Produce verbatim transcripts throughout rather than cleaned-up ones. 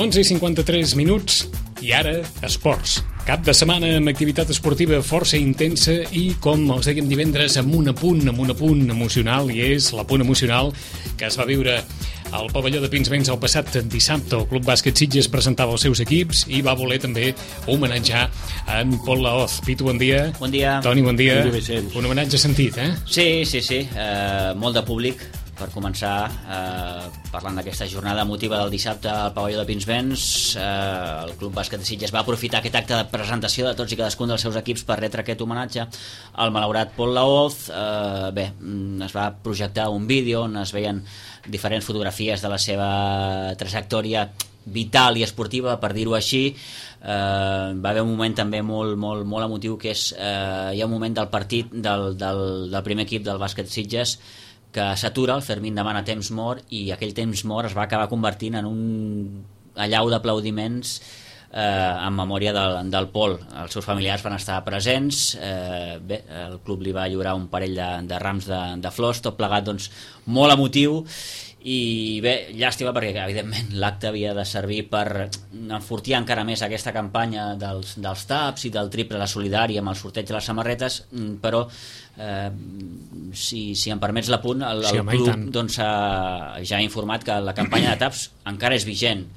onze i cinquanta-tres minuts i ara esports. Cap de setmana amb activitat esportiva força intensa i, com els dèiem divendres, amb un apunt, amb un apunt emocional, i és l'apunt emocional que es va viure al pavelló de Pinsbens el passat dissabte. El Club Bàsquet Sitges presentava els seus equips i va voler també homenatjar en Pol Laoz. Pitu, bon dia. Bon dia. Toni, bon dia. Bon dia, Vicenç. Un homenatge sentit, eh? Sí, sí, sí. Eh, molt de públic, per començar, eh, parlant d'aquesta jornada emotiva del dissabte al pavelló de Pinsbens. Eh, el Club Bàsquet de Sitges va aprofitar aquest acte de presentació de tots i cadascun dels seus equips per retre aquest homenatge al malaurat Pol Laoz. Eh, bé, es va projectar un vídeo on es veien diferents fotografies de la seva trajectòria vital i esportiva, per dir-ho així. Eh, va haver un moment també molt, molt, molt emotiu, que és eh, hi ha un moment del partit del, del, del primer equip del bàsquet Sitges que s'atura, el Fermín demana temps mort i aquell temps mort es va acabar convertint en un allau d'aplaudiments eh, en memòria del, del Pol. Els seus familiars van estar presents, eh, bé, el club li va lliurar un parell de, de rams de, de flors, tot plegat doncs molt emotiu. I bé, llàstima perquè evidentment l'acte havia de servir per enfortir encara més aquesta campanya dels, dels taps i del triple a la solidària amb el sorteig de les samarretes, però eh, si, si em permets l'apunt, el, el sí, club doncs, ha, ja ha informat que la campanya de taps encara és vigent,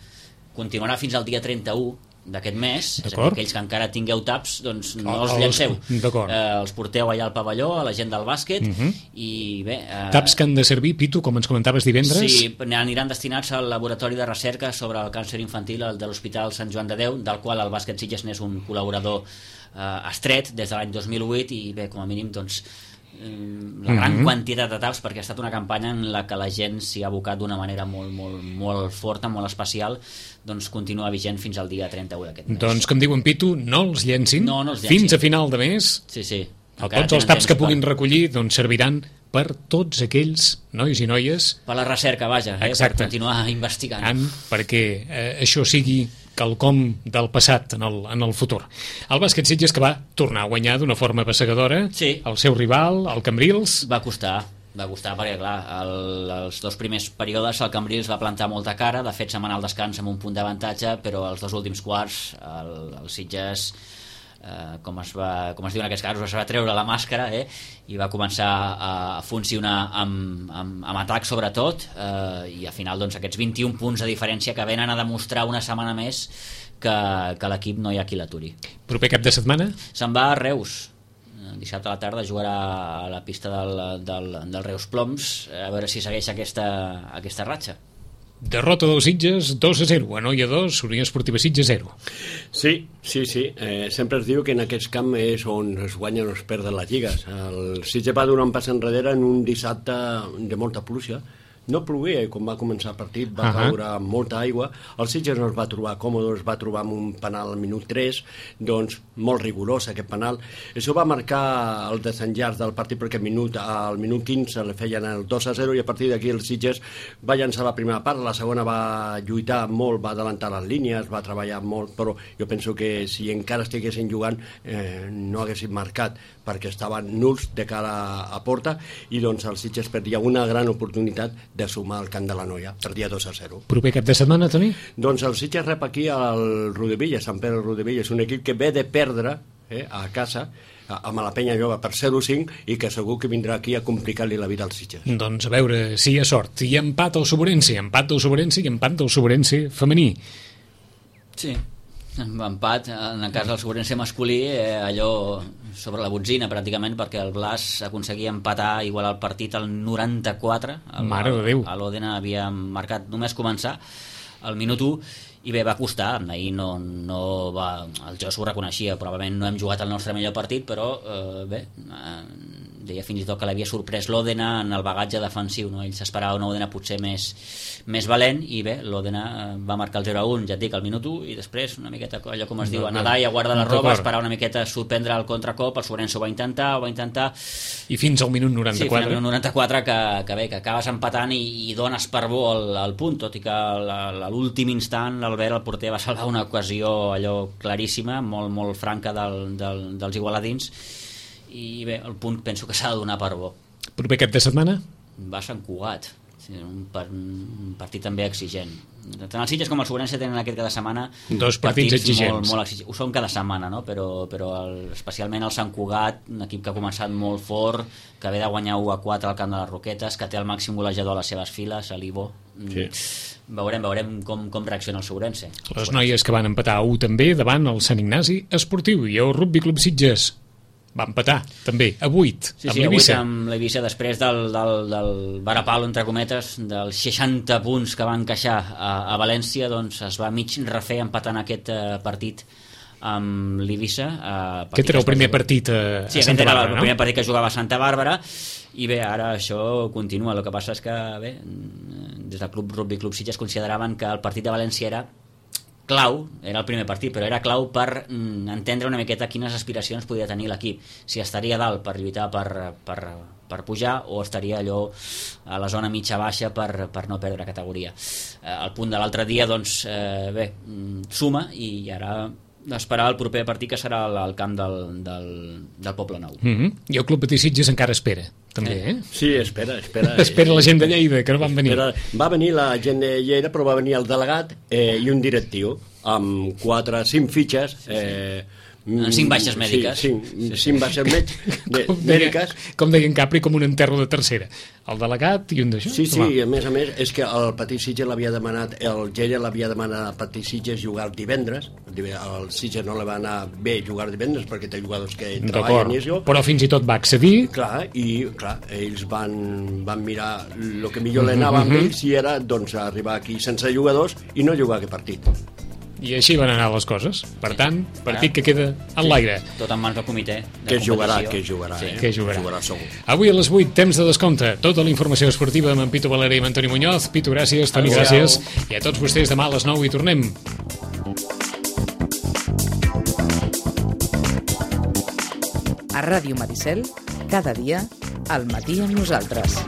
continuarà fins al dia trenta-u d'aquest mes, és a dir, aquells que encara tingueu taps, doncs no els llanceu, eh, els porteu allà al pavelló, a la gent del bàsquet. uh-huh. I bé... Eh, taps que han de servir, Pitu, com ens comentaves divendres? Sí, aniran destinats al laboratori de recerca sobre el càncer infantil de l'Hospital Sant Joan de Déu, del qual el bàsquet Sitges n'és un col·laborador eh, estret des de l'any dos mil vuit, i bé, com a mínim, doncs la gran mm-hmm. quantitat de taps, perquè ha estat una campanya en la que la gent s'hi ha abocat d'una manera molt, molt, molt forta, molt especial, doncs continua vigent fins al dia trenta-u d'aquest mes. Doncs, com diuen, Pitu, no els llencin, no, no els llencin. Fins a final de mes. Sí, sí. Tots els taps que puguin per... recollir doncs serviran per tots aquells nois i noies... Per la recerca, vaja, eh? Per continuar investigant. En, perquè eh, això sigui quelcom del passat en el, en el futur. El bàsquet Sitges, que va tornar a guanyar d'una forma passegadora, sí. El seu rival, el Cambrils. Va costar, va costar perquè, clar, el, els dos primers períodes el Cambrils va plantar molta cara, de fet se'n va anar al descans amb un punt d'avantatge, però els dos últims quarts el, el Sitges... Uh, com, es va, com es diu en aquests casos, es va treure la màscara, eh, i va començar a, a funcionar amb, amb, amb atac sobretot, uh, i al final doncs, aquests vint-i-un punts de diferència que venen a demostrar una setmana més que, que l'equip no hi ha qui l'aturi. Proper cap de setmana? Se'n va a Reus, dissabte a la tarda jugarà a la pista del, del, del Reus Ploms, a veure si segueix aquesta, aquesta ratxa. Derrota dels Sitges, dos a zero. Anoia dos, Unió Esportiva Sitges zero. Sí, sí, sí. Eh, sempre es diu que en aquest camp és on es guanyen o es perden les lligues. El Sitges va donar un pas enrere en un dissabte de molta pluja. No plogué quan va començar el partit, va uh-huh. caure molta aigua. El Sitges no es va trobar còmode, es va trobar amb un penal al minut tres, doncs molt rigorós aquest penal. Això va marcar el desenllaç del partit, perquè al minut, al minut quinze le feien el dos a zero, i a partir d'aquí el Sitges va llançar la primera part, la segona va lluitar molt, va adelantar les línies, va treballar molt, però jo penso que si encara estiguessin jugant eh, no haguessin marcat, perquè estaven nuls de cara a porta, i doncs el Sitges perdia una gran oportunitat de sumar al camp de la Noia, perdia dos a zero. Proper cap de setmana, Toni? Doncs el Sitges rep aquí al Rodevilla, Sant Pere del Rodevilla. És un equip que ve de perdre eh, a casa amb la Penya Jove per zero a cinc, i que segur que vindrà aquí a complicar-li la vida als Sitges. Doncs a veure si hi ha sort. I empat al Soberense, empat del Soberense i empat del Soberense femení. Sí, empat, en el cas del Soberense masculí, eh, allò sobre la botzina pràcticament, perquè el Blas aconseguia empatar, igualar el partit al noranta-quatre. El, Mare de Déu. L'Òdena havia marcat només començar al minut u, i bé, va costar. Ahir no, no va, el jo s'ho reconeixia, probablement no hem jugat el nostre millor partit, però eh, bé, eh, deia fins i tot que l'havia sorprès l'Òdena en el bagatge defensiu, no? Ell s'esperava una Òdena potser més, més valent, i bé, l'Òdena va marcar el zero a un, ja et dic, al minut u, i després una miqueta, allò com es diu, a nedar i a guardar la roba, esperar una miqueta, sorprendre el contracop. El Soberense ho va intentar, ho va intentar... I fins al minut noranta-quatre. Sí, fins al minut noranta-quatre, que, que bé, que acabes empatant i, i dones per bo el, el punt, tot i que a l'últim instant l'Albert, el porter, va salvar una ocasió allò claríssima, molt, molt franca del, del, dels igualadins, i bé, el punt penso que s'ha de donar per bo. Proper cap de setmana? Va a Sant Cugat. Sí, un, par, un partit també exigent. Tant el Sitges com el Sobrense tenen aquest cada setmana dos partits, partits exigents. Molt, molt exigents. Ho són cada setmana, no? Però, però el, especialment el Sant Cugat, un equip que ha començat molt fort, que ve de guanyar u a quatre al camp de les Roquetes, que té el màxim golejador a les seves files, a l'Ivo. Sí. Veurem, veurem com, com reacciona el Sobrense. Les noies que van empatar a u també davant el Sant Ignasi Esportiu i el Rugby Club Sitges va empatar, també, a vuit, sí, amb sí, l'Eivissa. amb l'Eivissa, després del, del, del varapalo, entre cometes, dels seixanta punts que van encaixar a, a València, doncs es va mig refer empatant aquest uh, partit amb l'Eivissa. Uh, aquest era el primer partit a, sí, a Santa Bàrbara, no? Sí, el primer partit que jugava a Santa Bàrbara, i bé, ara això continua. El que passa és que, bé, des del Club Rugby Club Sitges consideraven que el partit de València era clau, era el primer partit, però era clau per mm, entendre una miqueta quines aspiracions podia tenir l'equip, si estaria dalt per lluitar per, per, per pujar o estaria allò a la zona mitja-baixa per, per no perdre categoria. Eh, el punt de l'altre dia, doncs, eh, bé, suma, i ara esperar el proper partit, que serà al, al camp del, del, del Poble Nou. Mm-hmm. I el Club Patí Sitges encara espera, també, eh? Sí, espera, espera. espera la gent de Lleida, que no van venir. Espera, va venir la gent de Lleida, però va venir el delegat eh, i un directiu, amb quatre, cinc fitxes, eh, cinc baixes mèdiques. Sí, cinc, cinc baixes de, com mèdiques. Deia, com deien Capri, com un enterro de tercera. El delegat i un d'això. Sí, sí, a més a més, és que el Patí Sitges l'havia demanat, el Lleida l'havia demanat al Patí Sitges jugar divendres, el Sitges no li va anar bé jugar divendres perquè té jugadors que treballen i això. Però fins i tot va accedir. Clar, i clar, ells van, van mirar el que millor li anava amb ells, i era doncs arribar aquí sense jugadors i no jugar aquest partit. I així van anar les coses. Per tant, partit que queda en l'aire. Tot en mans del comitè de que jugarà, competició. que jugarà, sí. eh? Que jugarà. jugarà segur. Avui a les vuit, temps de descompte. Tota la informació esportiva amb en Pitu Valera i amb Antoni Muñoz. Pitu, gràcies. Toni, gràcies. I a tots vostès demà a les nou hi tornem. A Ràdio Maricel, cada dia, al matí amb nosaltres.